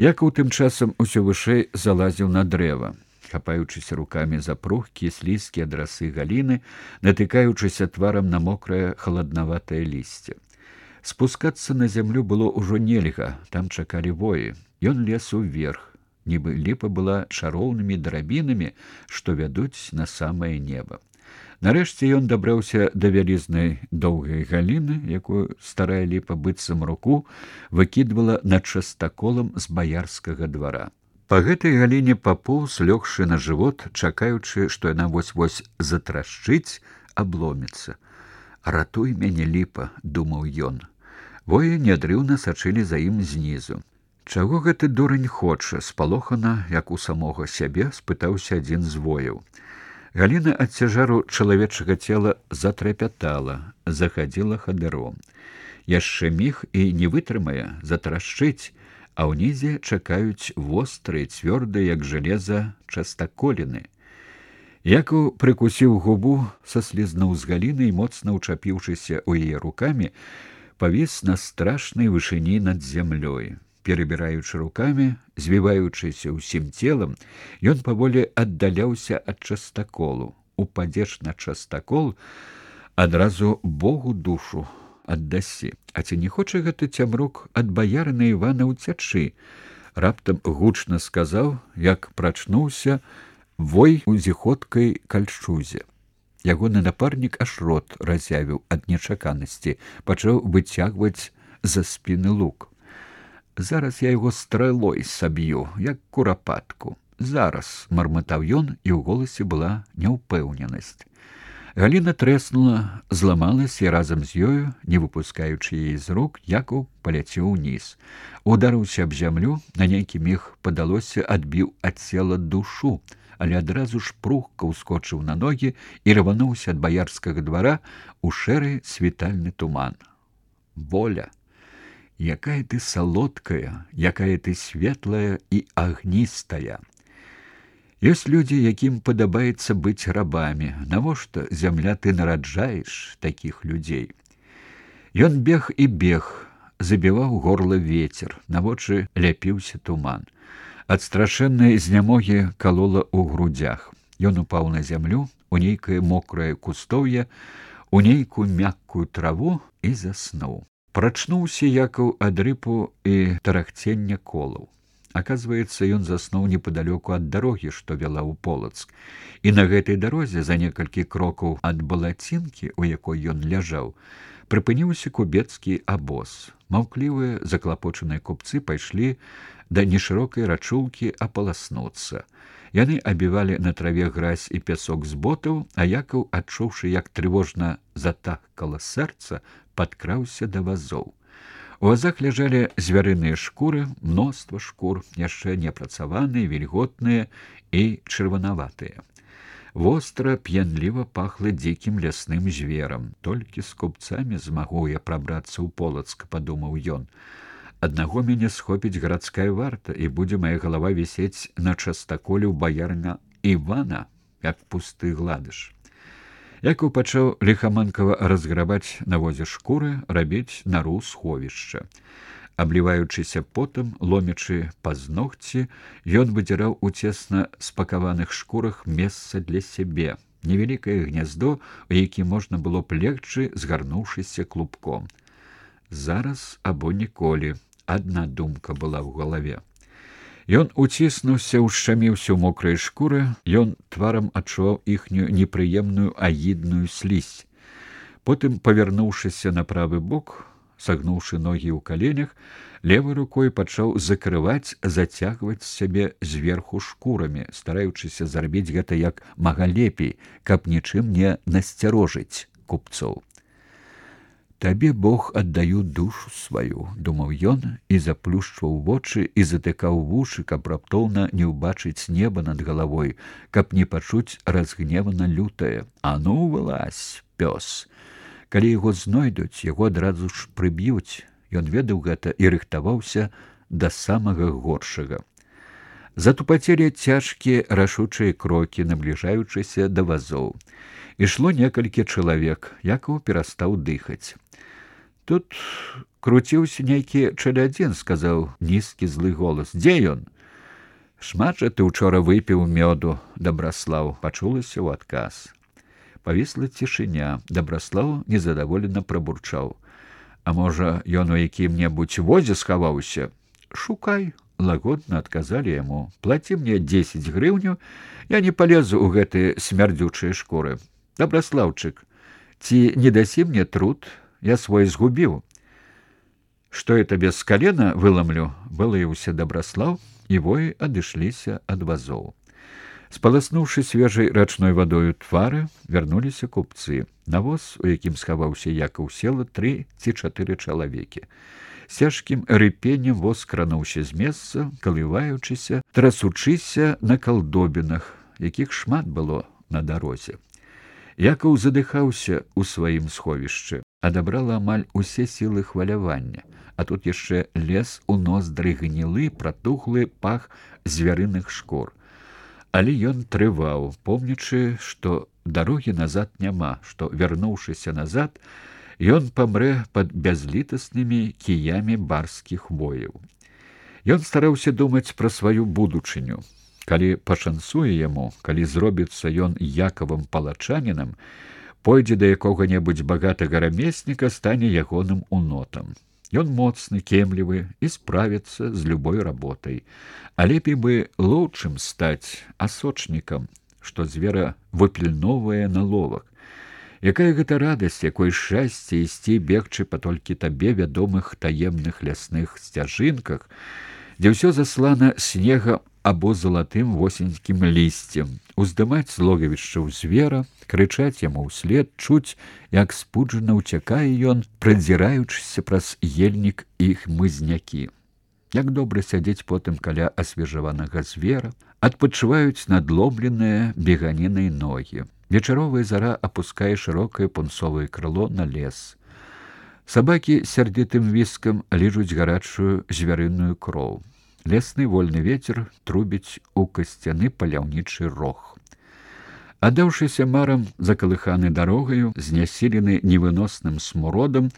Якаў тым часам усё вышэй залазіў на дрэва, хапаючыся рукамі за пругкія слізкія драсы галіны, натыкаючыся тварам на мокрае халаднаватае лісце. Спускацца на зямлю было ўжо нельга, там чакалі воі. Ён лез уверх, нібы ліпа была шароўнымі драбінамі, што вядуць на самае неба. Нарэшце ён дабраўся да вялізнай доўгай галіны, якую старая ліпа быццам руку выкідвала над частаколам з баярскага двара. Па гэтай галіне папоўз, лёгшы на жывот, чакаючы, што яна вось-вось затрашчыць, абломіцца. «Ратуй мяне, ліпа», — думаў ён. Воі нядрыўна сачылі за ім знізу. «Чаго гэты дурань хоча?» — спалохана, як у самога сябе, спытаўся адзін з вояў. Галіна ад цяжару чалавечага цела затрапятала, захадзіла хадыром. Яшчэ міг і не вытрымае, затрашчыць, а ўнізе чакаюць вострыя, цвёрдыя, як жалеза, частаколіны. Якаў прыкусіў губу, саслізнуў з галіны і, моцна ўчапіўшыся ў яе рукамі, павіс на страшнай вышыні над зямлёй. Перабіраючы рукамі, звіваючыся ўсім целам, ён паволі аддаляўся ад частаколу. Упадзеш на частакол, адразу Богу душу аддасі. А ці не хоча гэты цямрук ад баярына Івана ўцячы? Раптам гучна сказаў, як прачнуўся вой у зіходкай кальшузе. Ягоны напарнік аж рот разявіў ад нечаканасці, пачаў выцягваць за спіны лук. «Зараз я яго стрэлой саб'ю, як курапатку. Зараз», — мармытаў ён, і ў голасе была няўпэўненасць. Галіна трэснула, зламалась, і разам з ёю, не выпускаючы яе з рук, Якаў паляцеў уніз. Ударыўся аб зямлю, на нейкі міг, падалося, адбіў ад цела душу, але адразу ж прухка ўскочыў на ногі і рвануўся ад баярскага двара у шэры світальны туман. Воля! Якая ты салодкая, якая ты светлая і агністая. Ёсць людзі, якім падабаецца быць рабамі. Навошта, зямля, ты нараджаеш такіх людзей? Ён бег і бег, забіваў горла вецер, на вочы ляпіўся туман. Ад страшэннай знямогі калола ў грудзях. Ён упаў на зямлю, у нейкае мокрае кустоўе, у нейкую мяккую траву і заснуў. Прачнуўся Якаў ад рыпу і тарахцення колаў. Аказваецца, ён заснуў непадалёку ад дарогі, што вяла ў Полацк. І на гэтай дарозе, за некалькі крокаў ад балацінкі, у якой ён ляжаў, прыпыніўся кубецкі абоз. Маўклівыя, заклапочаныя купцы пайшлі да нешырокай рачулкі апаласнуцца. Яны абівалі на траве гразь і пясок з ботаў, а Якаў, адчуўшы, як трывожна затахкала сэрца, падкраўся да вазоў. У вазах ляжалі звярыныя шкуры, мноства шкур, яшчэ непрацаваныя, вільготныя і чырванаватыя. Востра, п'янліва пахла дзікім лясным зверам. Толькі з купцамі змагу я прабрацца ў Полацк, падумаў ён. Аднаго мяне схопіць гарадская варта, і будзе мая галава вісець на частаколе ў баярна Івана, як пусты гладыш. Якаў пачаў ліхаманкава разграбаць на возе шкуры, рабіць нару сховішча. Абліваючыся потам, ломячы пазногці, ён выдзіраў у цесна спакаваных шкурах месца для сябе, невялікае гняздо, у які можна было б легчы, згарнуўшыся клубком. Зараз або ніколі, адна думка была ў галаве. Ён уціснуўся, ушчаміўся ў мокрай шкуры, ён тварам адчуваў іхнюю непрыемную агідную слізь. Потым, павярнуўшыся на правы бок, сагнуўшы ногі ў каленях, левай рукой пачаў закрываць, зацягваць сябе зверху шкурамі, стараючыся зрабіць гэта як мага лепей, каб нічым не насцярожыць купцоў. «Табе, Бог, аддаю душу сваю», — думаў ён, і заплюшчваў вочы і затыкаў вушы, каб раптоўна не ўбачыць неба над галавой, каб не пачуць разгневана лютае. «А ну, вылазь, пёс!» Калі яго знойдуць, яго адразу ж прыб'юць. Ён ведаў гэта і рыхтаваўся да самага горшага. Затупацелі цяжкія рашучыя крокі, набліжаючыся да вазоў. Ішло некалькі чалавек, Якаў перастаў дыхаць. Тут круціўся нейкі чалядзін, сказаў нізкі злы голас. Дзе ён? Шмат жа ты учора выпіў мёду, Дабраслаў, пачулася ў адказ. Павісла цішыня. Дабраслаў незадаволена прабурчаў. А можа, ён у якім-небудзь возе схаваўся? Шукай, лагодна адказалі яму. Плаці мне 10 грыўняў, я не палезу ў гэтыя смярдзючыя шкуры. Дабраслаўчык, ці не дасі мне труд? Я свой згубіў. Што я табе з калена выламлю? Вылаяўся Дабраслаў, і воі адышліся ад вазоў. Спаласнуўшы свежай рачной вадою твары, вярнуліся купцы. На воз, у якім схаваўся Якаў, села 3 ці 4 чалавекі. З цяжкім рыпеннем воз крануўся з месца, калываючыся, трасучыся на калдобінах, якіх шмат было на дарозе. Якаў задыхаўся ў сваім сховішчы, адабрала амаль усе сілы хвалявання, а тут яшчэ лез у ноздры гнілы, пратухлы пах звярыных шкур. Але ён трываў, помнячы, што дарогі назад няма, што, вярнуўшыся назад, ён памрэ пад бязлітаснымі кіямі барскіх вояў. Ён стараўся думаць пра сваю будучыню. Калі пашанцуе яму, калі зробіцца ён Якавым палачанінам, пойдзе да якога-небудзь багатага рамесніка, стане ягоным унотам. Ён моцны, кемлівы і справіцца з любой работай. А лепей бы лоўчым стаць, асочнікам, што звера выпільноўвае на ловах. Якая гэта радасць, якое шчасце ісці бегчы па толькі табе вядомых таемных лясных сцяжынках, дзе ўсё заслана снегам або залатым восеньскім лісцем, уздымаць з логавішчаў звера, крычаць яму ўслед, чуць, як спуджана ўцякае ён, прадзіраючыся праз ельнік іх мызнякі. Як добра сядзець потым каля асвежаванага звера, адпачываюць надломленыя беганінай ногі. Вечаровая зара апускае шырокае пунцовае крыло на лес. Сабакі сярдзітым віскам ліжуць гарачую звярыную кроў. Лесны вольны вецер трубіць у касцяны паляўнічы рог. Аддаўшыся марам, закалыханы дарогаю, знясілены невыносным смуродам,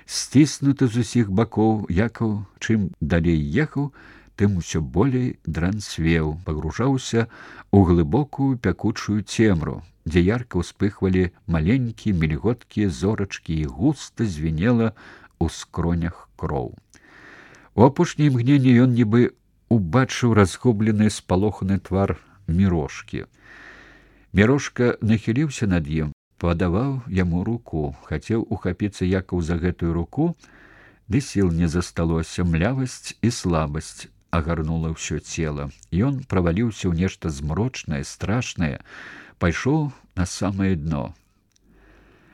сціснуты з усіх бакоў, Якаў, чым далей ехаў, тым усё болей дранцвеў, пагружаўся ў глыбокую пякучую цемру, дзе ярка ўспыхвалі маленькія мільготкія зорачкі і густа звінела ў скронях кроў. У апошняе імгненне ён нібы убачыў разгублены спалоханы твар Мірошкі. Мірошка нахіліўся над ім, падаваў яму руку, хацеў ухапіцца Якаў за гэтую руку, ды сіл не засталося, млявасць і слабасць агарнула ўсё цела. Ён праваліўся ў нешта змрочнае, страшнае, пайшоў на самае дно.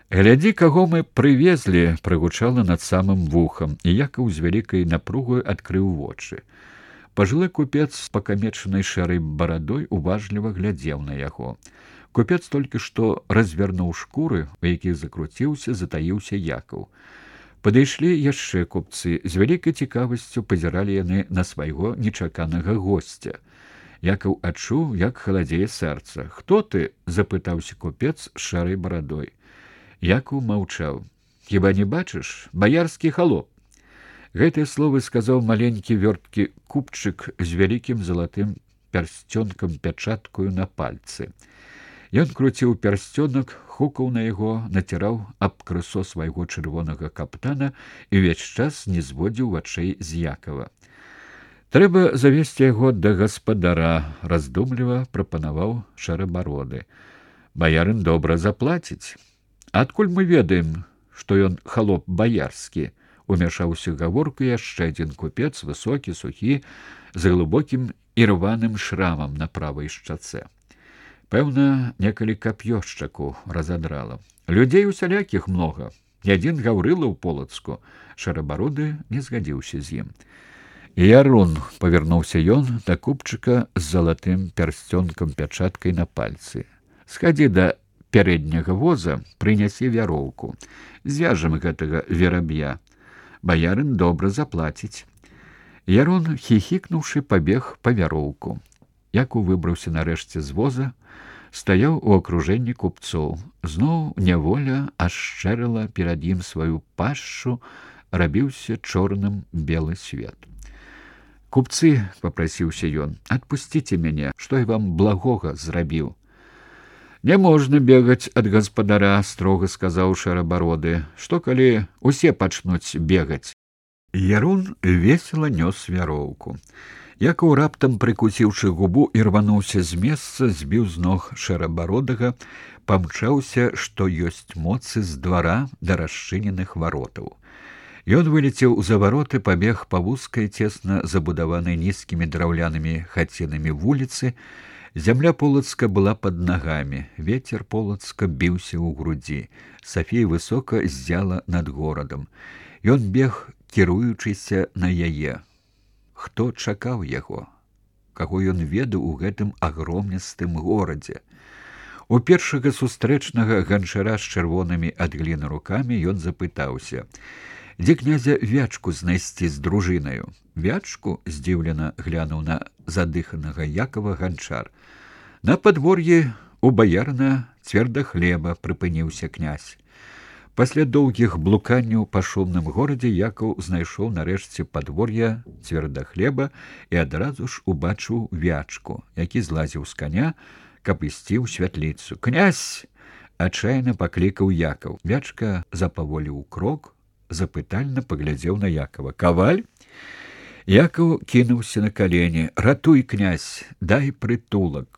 «Глядзі, каго мы прывезлі!» — прагучала над самым вухам, і Якаў з вялікай напругаю адкрыў вочы. Пажылы купец з пакамечанай шэрай барадой уважліва глядзеў на яго. Купец толькі што развярнуў шкуры, у якіх закруціўся, затаіўся Якаў. Падышлі яшчэ купцы, з вялікай цікавасцю пазіралі яны на свайго нечаканага госця. Якаў адчуў, як халадзее сэрца. «Хто ты?» — запытаўся купец з шэрай барадой. Якаў маўчаў. «Хіба не бачыш? Баярскі халоп!» Гэтыя словы сказаў маленькі вёрткі купчык з вялікім залатым пярсцёнкам пячаткаю на пальцы. Ён круціў пярсцёнак, хукаў на яго, націраў аб крысо свайго чырвонага каптана і ўвесь час не зводзіў вачэй з Якава. «Трэба завесці яго да гаспадара», — раздумліва прапанаваў шэрабароды. «Баярын добра заплаціць». «Адкуль мы ведаем, што ён халоп баярскі?» — умяшаўся гаворку яшчэ адзін купец, высокі, сухі, з глыбокім і рваным шрамам на правай шчацэ. Пэўна, некалі кап'ё шчаку разадрала. «Людзей усялякіх многа. Ні адзін гаўрыла ў Полацку». Шэрабароды не згадзіўся з ім. «Ярун», — павярнуўся ён да купчыка з залатым пярсцёнкам пячаткай на пальцы. «Схадзі да пярэдняга воза, прынясі вяроўку. Звяжам гэтага вераб'я. Баярын добра заплаціць». Ярун, хіхікнуўшы, пабег па вяроўку. Якаў выбраўся нарэшце з воза, стаяў у акружэнні купцоў. Зноў няволя ашчэрыла перад ім сваю пашшу рабіўся чорным белы свет. «Купцы», — папрасіўся ён, — «адпусціце мяне, што я вам благога зрабіў». «Не можна бегаць ад гаспадара», — строга сказаў шэрабароды. «Што калі усе пачнуць бегаць?» Ярун весела нёс вяроўку. Якаў раптам, прыкусіўшы губу, і рвануўся з месца, збіў з ног шэрабародага, памчаўся, што ёсць моцы, з двара да расчыненых варотаў. Ён вылецеў за вароты, пабег па вузкай, цесна забудаванай нізкімі драўлянымі хацінамі вуліцы. Зямля Полацка была пад нагамі, вецер Полацка біўся ў грудзі. Сафія высока ззяла над горадам. Ён бег, кіруючыся на яе. Хто чакаў яго? Каго ён ведаў у гэтым агромністым горадзе? У першага сустрэчнага ганчара з чырвонымі ад гліны рукамі ён запытаўся: «Дзе князя Вячку знайсці з дружынаю?» «Вячку?» — здзіўлена глянуў на задыханага Якова ганчар. «На падвор'і у баярна Цвердахлеба», — прыпыніўся князь. Пасля доўгіх блуканняў па шумным горадзе Якаў знайшоў нарэшце падвор'я Цвердахлеба і адразу ж убачыў Вячку, які злазіў з каня, каб ісці ў святліцу. «Князь!» — адчайна паклікаў Якаў. Вячка запаволіў крок, запытальна паглядзеў на Якова. «Каваль?» Якаў кінуўся на калені. «Ратуй, князь, дай прытулак!»